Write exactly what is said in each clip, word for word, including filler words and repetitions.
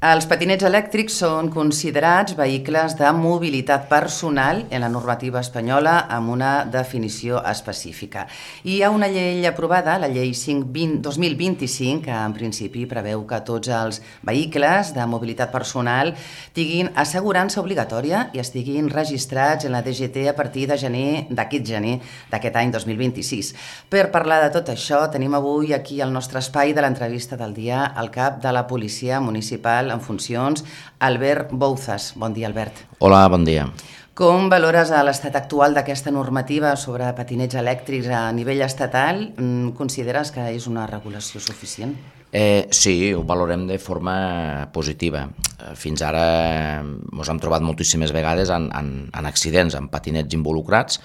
Els patinets elèctrics són considerats vehicles de mobilitat personal en la normativa espanyola amb una definició específica. I hi ha una llei aprovada, la llei cinc dos mil vint-i-cinc, que en principi preveu que tots els vehicles de mobilitat personal tinguin assegurança obligatòria i estiguin registrats en la D G T a partir de gener d'aquest gener d'aquest any dos mil vint-i-sis. Per parlar de tot això, tenim avui aquí al nostre espai de l'entrevista del dia el cap de la Policia Municipal en funcions, Albert Bouzas. Bon dia, Albert. Hola, bon dia. Com valores l'estat actual d'aquesta normativa sobre patinets elèctrics a nivell estatal? Consideres que és una regulació suficient? Eh, sí, ho valorem de forma positiva. Fins ara ens hem trobat moltíssimes vegades en, en, en accidents, en patinets involucrats,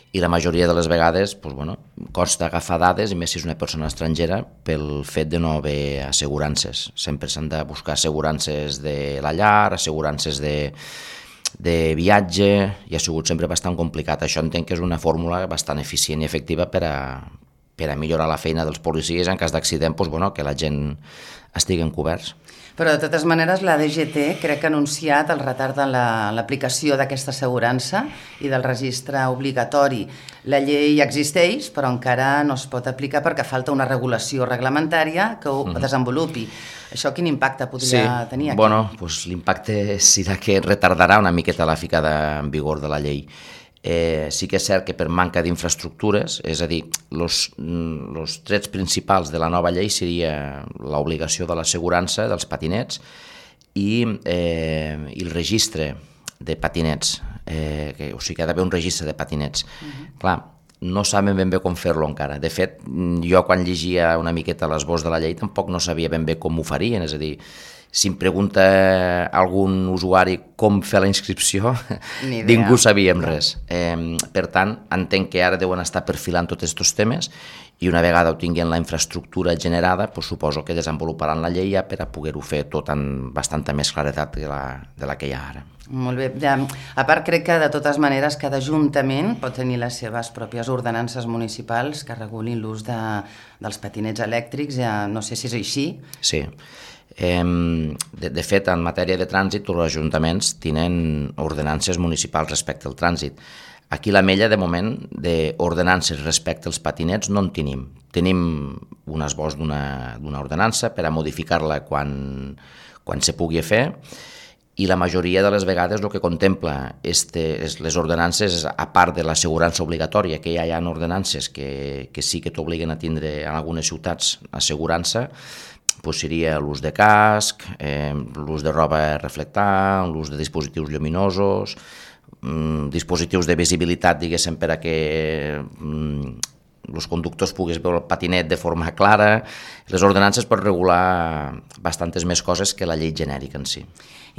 i la majoria de les vegades doncs, bueno, costa agafar dades, i més si és una persona estrangera, pel fet de no haver assegurances. Sempre s'han de buscar assegurances de la llar, assegurances de, de viatge, i ha sigut sempre bastant complicat. Això entenc que és una fórmula bastant eficient i efectiva per a, per a millorar la feina dels policies en cas d'accident, doncs, bueno, que la gent estiguen coberts. Però, de totes maneres, la D G T crec que ha anunciat el retard en l'aplicació d'aquesta assegurança i del registre obligatori. La llei existeix, però encara no es pot aplicar perquè falta una regulació reglamentària que ho mm-hmm. desenvolupi. Això quin impacte podria sí. tenir aquí? Bueno, pues l'impacte serà que retardarà una miqueta la ficada en vigor de la llei. Eh, sí que és cert que per manca d'infraestructures, és a dir, els trets principals de la nova llei seria l'obligació de l'assegurança dels patinets i, eh, i el registre de patinets, eh, que, o sigui que ha d'haver un registre de patinets. Uh-huh. Clar, no saben ben bé com fer-lo encara. De fet, jo quan llegia una miqueta l'esbós de la llei tampoc no sabia ben bé com ho farien, és a dir, si em pregunta algun usuari com fer la inscripció, ningú sabíem res. Eh, per tant, entenc que ara deuen estar perfilant tots aquests temes i una vegada ho tinguin la infraestructura generada, doncs suposo que desenvoluparan la llei ja per a poder-ho fer tot amb bastanta més claredat de la, de la que hi ha ara. Molt bé. Ja, a part, crec que de totes maneres cada ajuntament pot tenir les seves pròpies ordenances municipals que regulin l'ús de, dels patinets elèctrics. Ja no sé si és així. Sí. Eh, de, de fet, en matèria de trànsit, tots els ajuntaments tenen ordenances municipals respecte al trànsit. Aquí la Mella, de moment, d'ordenances respecte als patinets no en tenim. Tenim un esbós d'una ordenança per a modificar-la quan, quan se pugui fer, i la majoria de les vegades el que contempla este, les ordenances, a part de l'assegurança obligatòria, que ja hi ha ordenances que, que sí que t'obliguen a tindre en algunes ciutats assegurança, doncs seria l'ús de casc, eh, l'ús de roba reflectant, l'ús de dispositius lluminosos, mm, dispositius de visibilitat, diguéssim, per a que mm, els conductors puguin veure el patinet de forma clara. Les ordenances pot regular bastantes més coses que la llei genèrica en si.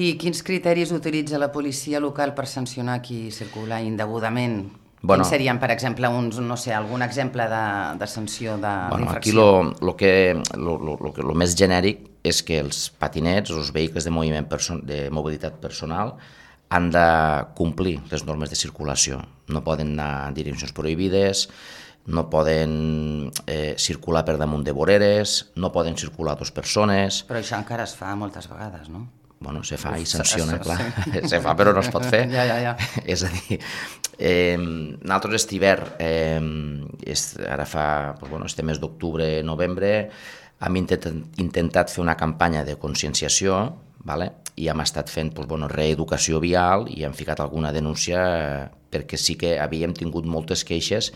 I quins criteris utilitza la policia local per sancionar qui circula indegudament? Bueno, quins serien, per exemple, uns, no sé, algun exemple de, de sanció d'infracció? Bueno, aquí lo, lo que, lo, lo, lo, lo més genèric és que els patinets, els vehicles de, moviment perso de mobilitat personal, han de complir les normes de circulació. No poden anar en direccions prohibides, no poden eh, circular per damunt de voreres, no poden circular dues persones... Però això encara es fa moltes vegades, no? Bueno, se fa i sanciona, clar. Se fa, però no es pot fer. Ja, ja, ja. És a dir, eh, nosaltres aquest hivern, eh, és, ara fa, doncs, bueno, este mes d'octubre, novembre, hem intentat, intentat fer una campanya de conscienciació, vale? I hem estat fent doncs, bueno, reeducació vial i hem ficat alguna denúncia eh, perquè sí que havíem tingut moltes queixes.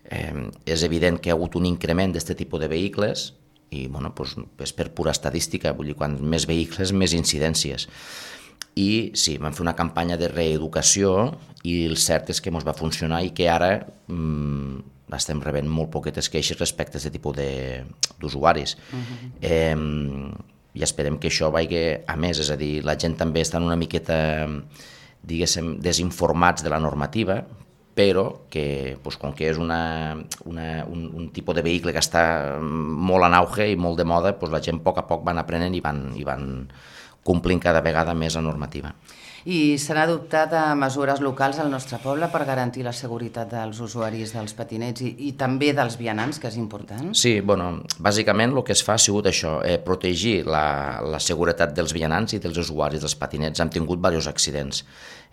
Eh, és evident que hi ha hagut un increment d'aquest tipus de vehicles, i bueno, doncs, és per pura estadística, vull dir, quan més vehicles, més incidències. I sí, vam fer una campanya de reeducació i el cert és que ens va funcionar i que ara mmm, estem rebent molt poquetes queixes respecte a aquest tipus d'usuaris. Uh-huh. eh, I esperem que això vagi a més, és a dir, la gent també està una miqueta, diguéssim, desinformats de la normativa, però que, doncs, com que és una, una, un, un tipus de vehicle que està molt en auge i molt de moda, doncs la gent a poc a poc van aprenent i van, i van complint cada vegada més la normativa. I s'han adoptat mesures locals al nostre poble per garantir la seguretat dels usuaris dels patinets i, i també dels vianants, que és important? Sí, bueno, bàsicament el que es fa ha sigut això, eh, protegir la, la seguretat dels vianants i dels usuaris dels patinets. Hem tingut diversos accidents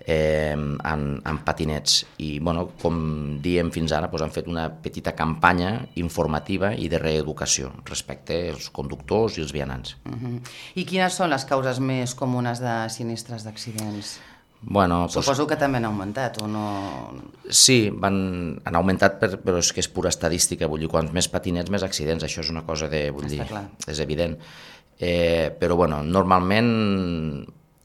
eh, en, en patinets i, bueno, com diem fins ara, doncs, han fet una petita campanya informativa i de reeducació respecte als conductors i els vianants. Uh-huh. I quines són les causes més comunes de sinistres d'accidents? Bueno, Suposo pues, que també han augmentat, o no? Sí, van, han augmentat, per, però és que és pura estadística, vull dir, quants més patinets, més accidents, això és una cosa de, vull dir, és evident. Eh, però, bueno, normalment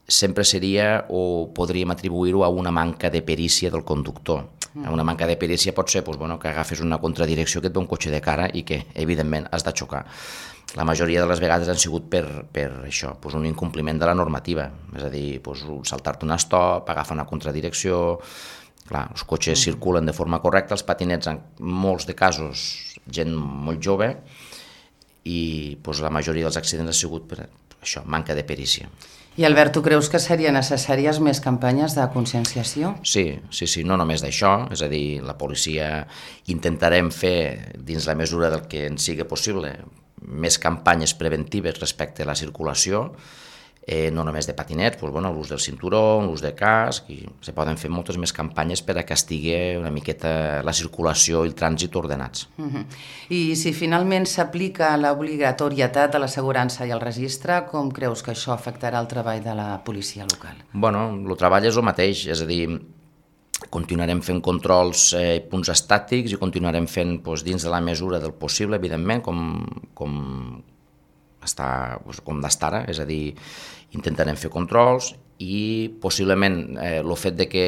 sempre seria, o podríem atribuir-ho a una manca de perícia del conductor. Mm. Una manca de perícia pot ser, doncs, bueno, que agafes una contradirecció, que et ve un cotxe de cara i que, evidentment, has de xocar. La majoria de les vegades han sigut per, per això, doncs un incompliment de la normativa, és a dir, doncs, saltar-te un stop, agafar una contradirecció. Clar, els cotxes mm. circulen de forma correcta, els patinets, en molts de casos, gent molt jove, i doncs, la majoria dels accidents ha sigut per això, manca de perícia. I Albert, tu creus que serien necessàries més campanyes de conscienciació? Sí, sí, sí, no només d'això, és a dir, la policia intentarem fer, dins la mesura del que ens sigui possible, més campanyes preventives respecte a la circulació, eh, no només de patinets, doncs, bueno, l'ús del cinturó, l'ús de casc, i se poden fer moltes més campanyes per a que estigui una miqueta la circulació i el trànsit ordenats. Uh-huh. I si finalment s'aplica l'obligatorietat de l'assegurança i el registre, com creus que això afectarà el treball de la policia local? Bueno, el treball és el mateix, és a dir, continuarem fent controls eh, punts estàtics i continuarem fent doncs, dins de la mesura del possible, evidentment, com, com, està, doncs, com d'estar ara, és a dir, intentarem fer controls i possiblement eh, el fet de que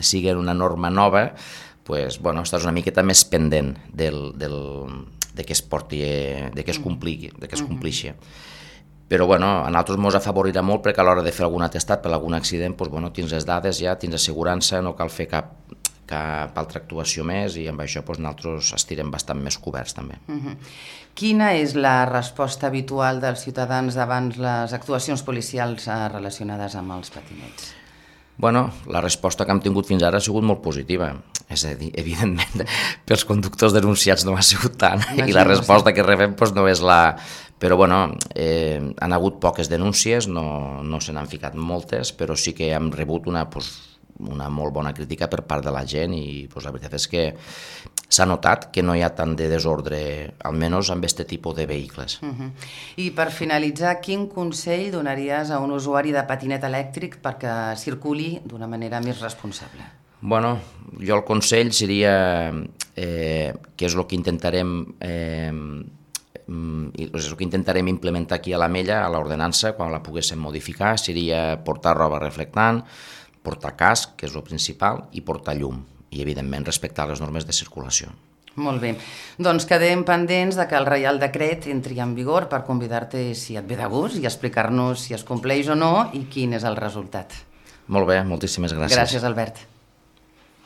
sigui una norma nova, doncs, bueno, estàs una miqueta més pendent del, del, de que es porti, de que es compligui, de que es complixi. Però bueno, a nosaltres ens afavorirà molt perquè a l'hora de fer algun atestat per algun accident, doncs, bueno, tens les dades ja, tens assegurança, no cal fer cap, cap altra actuació més i amb això doncs, nosaltres estirem bastant més coberts també. Uh-huh. Quina és la resposta habitual dels ciutadans davant les actuacions policials relacionades amb els patinets? Bueno, la resposta que hem tingut fins ara ha sigut molt positiva. És a dir, evidentment, pels conductors denunciats no ha sigut tant, no, i la resposta que rebem doncs, no és la... Però, bueno, eh, han hagut poques denúncies, no, no se n'han ficat moltes, però sí que hem rebut una, doncs, una molt bona crítica per part de la gent i doncs, la veritat és que s'ha notat que no hi ha tant de desordre, almenys amb aquest tipus de vehicles. Uh-huh. I per finalitzar, quin consell donaries a un usuari de patinet elèctric perquè circuli d'una manera més responsable? Bueno, jo el consell seria eh, que és el que intentarem eh, és el que intentarem implementar aquí a l'Amella, a l'ordenança, quan la poguéssim modificar, seria portar roba reflectant, portar casc, que és el principal, i portar llum, i evidentment respectar les normes de circulació. Molt bé, doncs quedem pendents de que el Reial Decret entri en vigor per convidar-te si et ve de gust i explicar-nos si es compleix o no i quin és el resultat. Molt bé, moltíssimes gràcies. Gràcies, Albert.